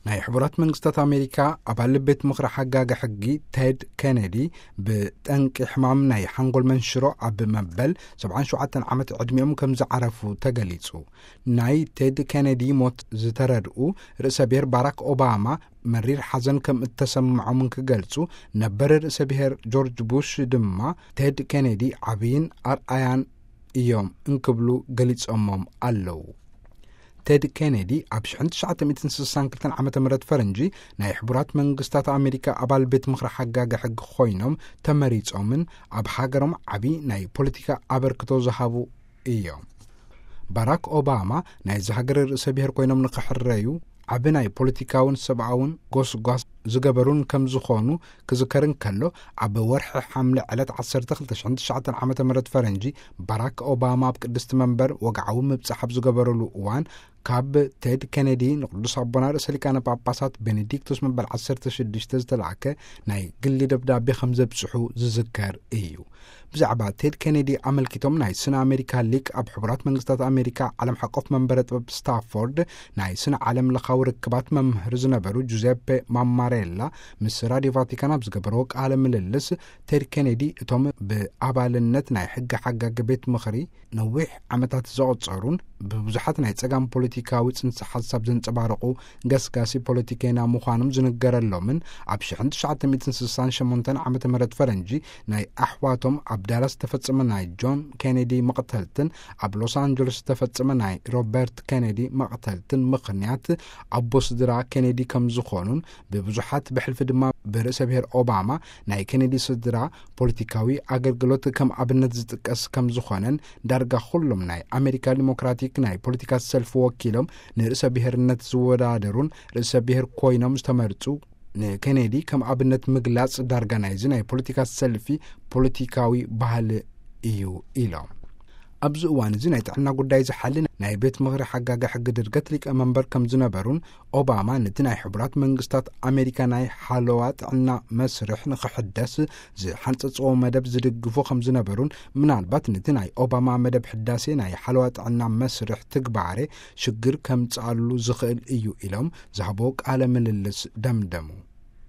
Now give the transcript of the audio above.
ናይ ሕቡራት መንግስታት ኣሜሪካ ኣባል ቤት ምኽሪ ሓጋጊ ሕጊ ቴድ ኬኔዲ ብጠንቂ ሕማም ናይ ሓንጎል መንሽሮ ኣብ መበል ሰብዓን ሸውዓተን ዓመት ዕድሚኦም ከም ዝዓረፉ ተገሊጹ። ናይ ቴድ ኬኔዲ ሞት ዝተረድኡ ርእሰ ብሔር ባራክ ኦባማ መሪር ሓዘን ከም እተሰምዖምን ክገልጹ፣ ነበር ርእሰ ብሔር ጆርጅ ቡሽ ድማ ቴድ ኬኔዲ ዓብይን ኣርኣያን እዮም እንክብሉ ገሊጾሞም ኣለዉ። ቴድ ኬኔዲ ኣብ ሽሕን ትሽዓተ ሚእትን ስሳን ክልተን ዓመተ ምህረት ፈረንጂ ናይ ሕቡራት መንግስታት ኣሜሪካ ኣባል ቤት ምኽሪ ሓጋጊ ሕጊ ኮይኖም ተመሪጾምን ኣብ ሃገሮም ዓቢ ናይ ፖለቲካ ኣበርክቶ ዝሃቡ እዮም። ባራክ ኦባማ ናይዚ ሃገር ርእሰ ብሔር ኮይኖም ንክሕረዩ ዓቢ ናይ ፖለቲካውን ሰብኣውን ጎስጓስ ዝገበሩን ከም ዝኾኑ ክዝከር እንከሎ፣ ኣብ ወርሒ ሓምለ ዕለት ዓሰርተ ክልተ ሽሕን ትሽዓተ ዓመተ ምህረት ፈረንጂ ባራክ ኦባማ ኣብ ቅድስቲ መንበር ወግዓዊ ምብጻሕ ኣብ ዝገበረሉ እዋን፣ ካብ ቴድ ኬኔዲ ንቅዱስ ኣቦና ርእሰ ሊቃነ ጳጳሳት ቤኔዲክቶስ መበል ዓሰርተ ሽዱሽተ ዝተላእከ ናይ ግሊ ደብዳቤ ከም ዘብጽሑ ዝዝከር እዩ። ብዛዕባ ቴድ ኬኔዲ ኣመልኪቶም ናይ ስነ ኣሜሪካ ሊቅ ኣብ ሕቡራት መንግስታት ኣሜሪካ ዓለም ሓቆፍ መንበረ ጥበብ ስታፎርድ ናይ ስነ ዓለም ለኻዊ ርክባት መምህር ዝነበሩ ጁዜፔ ማማሬላ ምስ ራዲዮ ቫቲካን ኣብ ዝገበረዎ ቃለ ምልልስ፣ ቴድ ኬኔዲ እቶም ብኣባልነት ናይ ሕጊ ሓጋጊ ቤት ምኽሪ ነዊሕ ዓመታት ዘቐጸሩን ብብዙሓት ናይ ጸጋም ፖለቲካዊ ጽንሰ ሓሳብ ዘንጸባረቑ ገስጋሲ ፖለቲከና ምዃኖም ዝንገረሎምን ኣብ ሽሕን ትሽዓተ ሚእትን ስሳን ሸሞንተን ዓመተ ምህረት ፈረንጂ ናይ ኣሕዋቶም ኣብ ዳላስ ዝተፈጸመ ናይ ጆን ኬኔዲ መቕተልትን ኣብ ሎስ ኣንጀለስ ዝተፈጸመ ናይ ሮበርት ኬኔዲ መቕተልትን ምኽንያት ኣቦ ስድራ ኬኔዲ ከም ዝኾኑን ብብዙሓት ብሕልፊ ድማ ብርእሰ ብሔር ኦባማ ናይ ኬኔዲ ስድራ ፖለቲካዊ ኣገልግሎት ከም ኣብነት ዝጥቀስ ከም ዝኾነን ዳርጋ ኩሎም ናይ ኣሜሪካ ዲሞክራቲክ ናይ ፖለቲካ ሰልፊ ወኪሎም ንርእሰ ብሔርነት ዝወዳደሩን ርእሰ ብሔር ኮይኖም ዝተመርጹ ንኬኔዲ ከም ኣብነት ምግላጽ ዳርጋ ናይዚ ናይ ፖለቲካ ሰልፊ ፖለቲካዊ ባህሊ እዩ ኢሎም። ኣብዚ እዋን እዚ ናይ ጥዕና ጉዳይ ዝሓሊ ናይ ቤት ምኽሪ ሓጋጊ ሕጊ ድርገት ሊቀ መንበር ከም ዝነበሩን ኦባማ ነቲ ናይ ሕቡራት መንግስታት ኣሜሪካ ናይ ሓለዋ ጥዕና መስርሕ ንኽሕደስ ዝሓንጸጽዎ መደብ ዝድግፉ ከም ዝነበሩን ምናልባት ነቲ ናይ ኦባማ መደብ ሕዳሴ ናይ ሓለዋ ጥዕና መስርሕ ትግባሬ ሽግር ከምጽኣሉ ዝኽእል እዩ ኢሎም ዝሃቦ ቃለ ምልልስ ደምደሙ።